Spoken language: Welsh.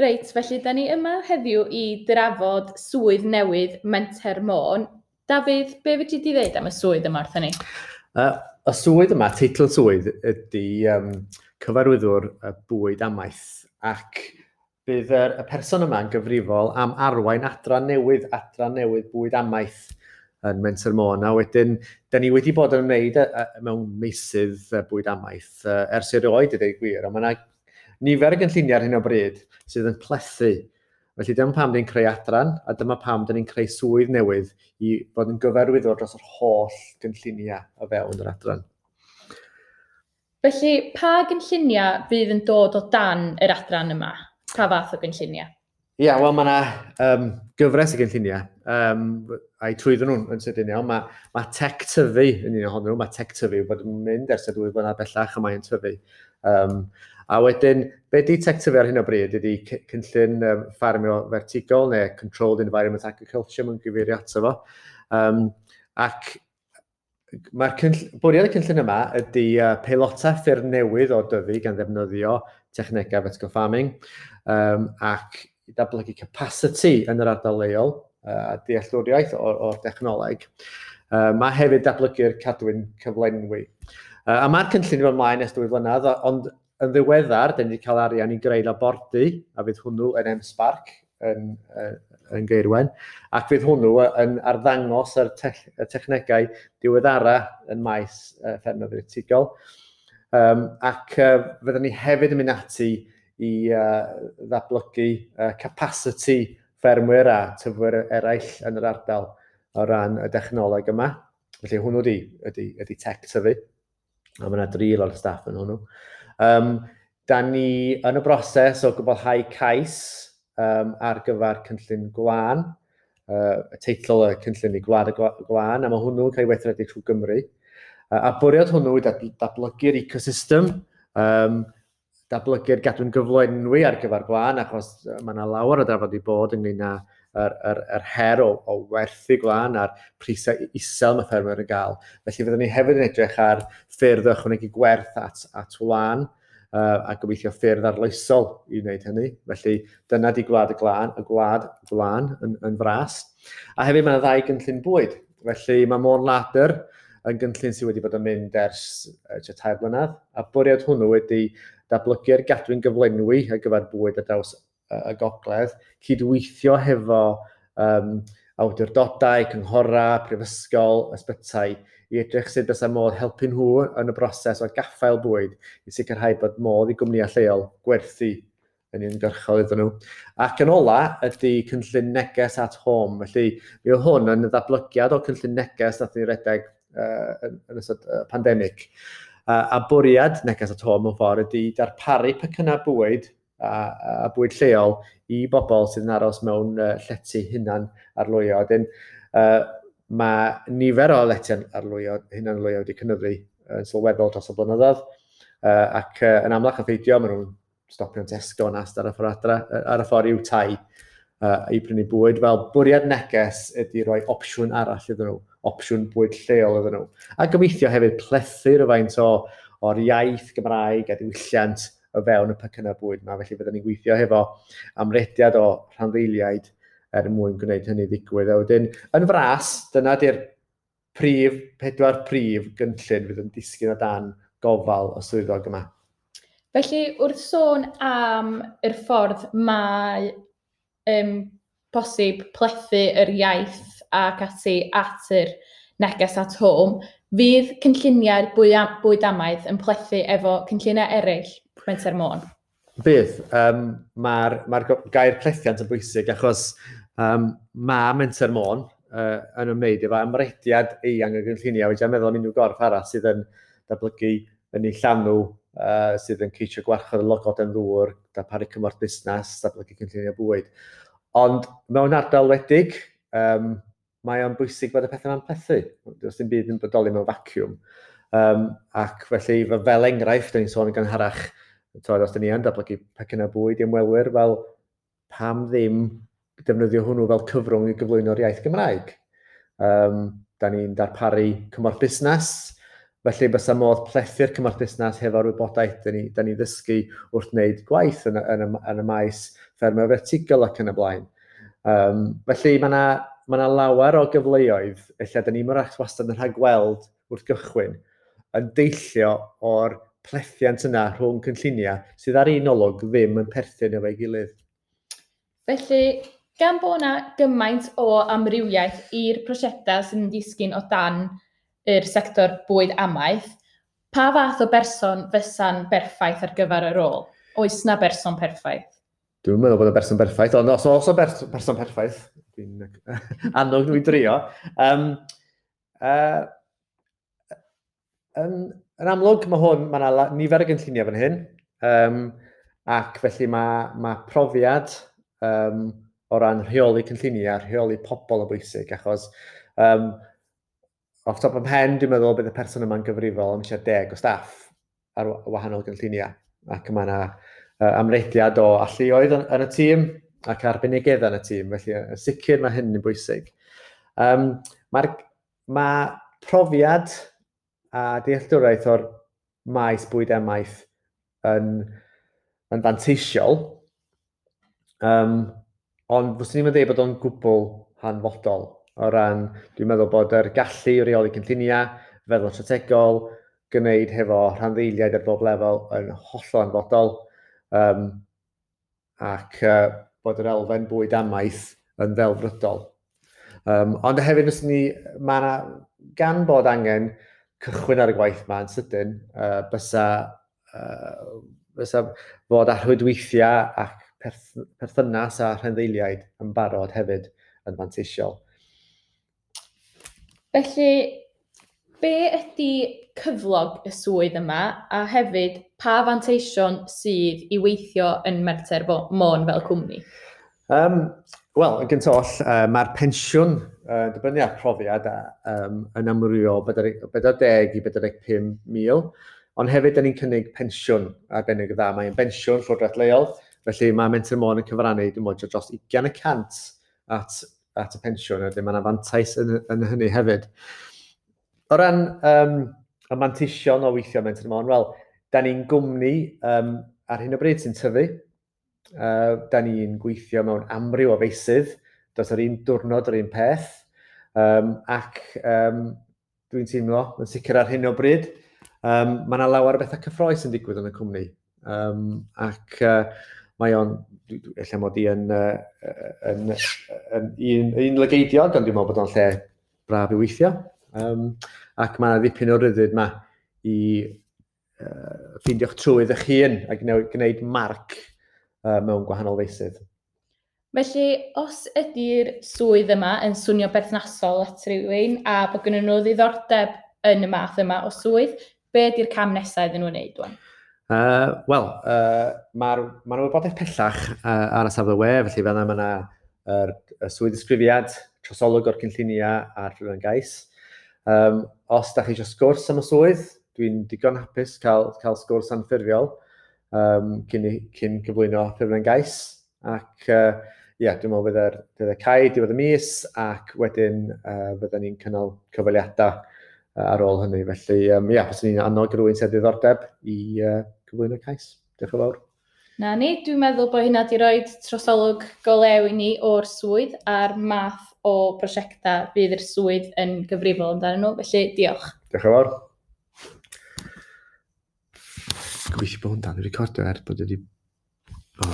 Reit, felly da ni yma heddiw i drafod swydd newydd Menter Môn. Dafydd, be fedri di ddeud am y swydd yma wrthon ni? Y swydd yma, teitl swydd, ydy cyfarwyddwr y bwyd amaeth, ac bydd y person yma yn gyfrifol am arwain adran newydd bwyd amaeth yn Menter Môn. A wedyn, da ni wedi bod yn ymwneud mewn meysydd bwyd amaeth ers erioed, i ddweud gwir, ond mae yna nifer o gynlluniau ar hyn o bryd sydd yn plethu. Felly dyma pam ni'n creu adran, a dyma pam dyn ni'n creu swydd newydd i fod yn gyfarwyddwr dros yr holl gynlluniau o fewn yr adran. Felly, pa gynlluniau fydd yn dod o dan yr adran yma? Pa fath o gynlluniau? Ia, wel, mae yna gyfres o gynlluniau, a'i trwyddyn nhw'n yn sydyn iawn. Mae Tech Tyfu yn un ohonyn nhw. Mae Tech Tyfu wedi bod yn mynd ers y 2 flynedd bellach a mae'n tyfu. A wedyn, be di Tech Tyfu ar hyn o bryd ydy cynllun ffarmio fertigol neu Controlled Environment Agriculture mae'n gyfeirio ato fo. Ac mae'r bwriad y cynllun yma ydy peilota ffyrdd newydd o dyfu gan ddefnyddio technegau vertical farming ac i datblygu capacity yn yr ardal leol a dealltwriaeth o'r dechnoleg. Mae hefyd datblygu'r cadwyn cyflenwi. A mae'r cynllun i fod ymlaen ers 2 flynedd, ond yn ddiweddar, dyn ni wedi cael arian i greu labordy, a fydd hwnnw yn M-Sparc yn Gaerwen, ac fydd hwnnw yn arddangos y technegau diweddara yn maes ffermio vertigol. Ac fyddwn ni hefyd yn mynd ati i ddatblygu capacity ffermwyr a tyfwyr eraill yn yr ardal o ran y dechnoleg yma. Felly hwnnw ydy Tech Tyfu. A mae yna dri o'r staff yn hwnnw. Da ni yn y broses o gwblhau cais ar gyfer cynllun gwlân. Y teitl y cynllun i Gwlad y Gwlân, a mae hwnnw'n cael ei weithredu trwy Gymru. A bwriad hwnnw yw datblygu'r ecosystem, datblygu'r gadwyn gyflenwi ar gyfer gwlân, achos mae yna lawer o drafod i bod ynglyn â yr her o werthu gwlân a'r prisau isel mae ffermwyr yn gael. Felly fyddwn ni hefyd yn edrych ar ffyrdd o ychwanegu gwerth at wlân, a gobeithio ffyrdd arloesol i wneud hynny. Felly dyna di Gwlad y Glân, y Gwlad Gwlân yn fras. A hefyd mae yna ddau gynllun bwyd. Felly mae Môn Larder yn gynllun sydd wedi bod yn mynd ers tua 3 blynedd, a bwriad hwnnw wedi datblygu'r gadwyn gyflenwi ar gyfer bwyd ar draws y gogledd, cydweithio hefo awdurdodau, cynghorau, prifysgol, ysbytai, i edrych sut bysa modd helpu nhw yn y broses o gaffael bwyd i sicrhau bod modd i gwmnïau lleol gwerthu yn uniongyrchol iddyn nhw. Ac yn ola ydy cynllun Neges at Home. Felly, mi oedd hwn yn ddatblygiad o cynllun Neges nath ni redeg yn ystod pandemig. A bwriad Neges at Home mewn ffordd ydy darparu pecynnau bwyd a bwyd lleol i bobl sydd yn aros mewn llety hunan arlwyo. Wedyn, mae nifer o lety arlwyo, hunan arlwyo wedi cynyddu yn sylweddol dros y blynyddoedd, ac yn amlach na pheidio, maen nhw'n stopio'n Tesco yn Asda ar y ffordd adra, ar y ffordd i'w tai i brynu bwyd. Fel bwriad Neges ydy rhoi opsiwn arall iddyn nhw, opsiwn bwyd lleol iddyn nhw. A gobeithio hefyd plethu rhywfaint o'r iaith Gymraeg a diwylliant o fewn y pecynnau bwyd yma. Felly byddwn ni'n gweithio hefo amrediad o rhanddeiliaid er mwyn gwneud hynny ddigwydd. A wedyn, yn fras, dyna di'r pedwar prif gynllun fydd yn disgyn o dan gofal y swyddog yma. Felly, wrth sôn am yr ffordd mae posib plethu yr iaith ac ati at yr Neges at Home, fydd cynlluniau'r bwyd amaeth yn plethu efo cynlluniau eraill Menter Môn? Bydd. Mae'r gair plethiant yn bwysig achos mae Menter Môn yn ymwneud efo amrediad eang o gynlluniau. Wedi meddwl am unrhyw gorff arall sydd yn datblygu yn ei llanw, sydd yn ceisio gwarchod y logoden ddŵr, darparu cymorth busnes, datblygu cynlluniau bwyd. Ond mewn ardal wledig, mae o'n bwysig bod y pethau yma'n plethu. Does dim byd yn bodoli mewn vacuum. Ac felly, fel enghraifft, da ni'n sôn yn gynharach, twod, os da ni yn datblygu pecynnau bwyd i ymwelwyr, fel pam ddim defnyddio hwnnw fel cyfrwng i gyflwyno'r iaith Gymraeg? Da ni'n darparu cymorth busnes, felly bysa modd plethu'r cymorth busnes hefo'r wybodaeth da ni ddysgu wrth wneud gwaith yn y maes ffermio fertigol ac yn y blaen. Felly mae yna ma lawer o gyfleoedd, lle da ni'n mor wastad yn rhagweld wrth gychwyn, yn deillio o'r plethiant yna rhwng cynlluniau sydd ar un olwg ddim yn perthyn efo'i gilydd. Felly, gan bod yna gymaint o amrywiaeth i'r prosiectau sy'n disgyn o dan yr sector bwyd amaeth, pa fath o berson fysa'n berffaith ar gyfer y rôl? Oes na berson perffaith? Dwi'n meddwl bod y berson perffaith, ond os oes o berson perffaith, dwi'n annog nhw i drio. Yn amlwg, mae hwn, mae yna nifer o gynlluniau fan hyn, ac felly mae profiad o ran rheoli cynlluniau, rheoli pobl yn bwysig, achos off top of mhen, dwi'n meddwl bydd y person yma'n gyfrifol am tua 10 o staff ar wahanol gynlluniau, ac mae yna amrediad o alluoedd yn y tîm ac arbenigedd yn y tîm, felly yn sicr mae hyn yn bwysig. Mae profiad a dealltwriaeth o'r maes bwyd amaeth yn fanteisiol, ond fyswn i'n dweud bod o'n gwbl hanfodol o ran, dwi'n meddwl bod yr gallu i reoli cynlluniau, feddwl strategol, gwneud hefo rhanddeiliaid ar bob lefel yn hollol hanfodol, ac bod yr elfen bwyd amaeth yn ddelfrydol. Ond hefyd, fyswn ni, mae yna, gan bod angen cychwyn ar y gwaith yma yn sydyn, bysa fod â rhwydweithiau ac perthynas a rhanddeiliaid yn barod hefyd yn fanteisiol. Felly, be ydy cyflog y swydd yma, a hefyd pa fanteision sydd i weithio yn Menter Môn fel cwmni? Wel, yn gyntaf oll, mae'r pensiwn, dibynnu ar profiad, yn amrywio o 40 i 45 mil, ond hefyd da ni'n cynnig pensiwn arbennig o dda. Mae'n bensiwn llywodraeth leol, felly mae Menter Môn yn cyfrannu, dwi'n meddwl, dros 20% at y pensiwn, a mae yna fantais yn hynny hefyd. O ran y manteision o weithio Menter Môn, wel, da ni'n gwmni ar hyn o bryd sy'n tyfu. Da ni'n gweithio mewn amryw o feysydd, does yr un diwrnod yr un peth, ac dwi'n teimlo, yn sicr ar hyn o bryd, mae yna lawer o bethau cyffrous yn digwydd yn y cwmni, ac mae o'n, ella mod i yn un lygeidiog, ond dwi'n meddwl bod o'n lle braf i weithio, ac mae yna ddipyn o ryddid yma i ffeindio'ch trwydd eich hun a gwneud marc mewn gwahanol feysydd. Felly, os ydy'r swydd yma yn swnio berthnasol at rhywun a bod gennyn nhw ddiddordeb yn y math yma o swydd, be ydy'r cam nesaf iddyn nhw wneud wan? Wel, mae'r ma wybodaeth pellach ar y safle we, felly fel yna mae yna y swydd ddisgrifiad, trosolwg o'r cynlluniau a'r ffurflen gais. Os da chi eisiau sgwrs am y swydd, dwi'n digon hapus cael sgwrs anffurfiol cyn cyflwyno ffurflen gais. Ac ie, dwi'n meddwl bydd y cau diwedd y mis, ac wedyn fydden ni'n cynnal cyfweliadau ar ôl hynny. Felly, ie, fyswn i'n annog rhywun sydd â diddordeb i cyflwyno cais. Diolch yn fawr. Na ni, dwi'n meddwl bod hynna wedi rhoi trosolwg go lew i ni o'r swydd a'r math o brosiectau fydd yr swydd yn gyfrifol amdanyn nhw. Felly, diolch. Diolch yn fawr. Gobeithio bod hwn dal i recordio er bod wedi... O,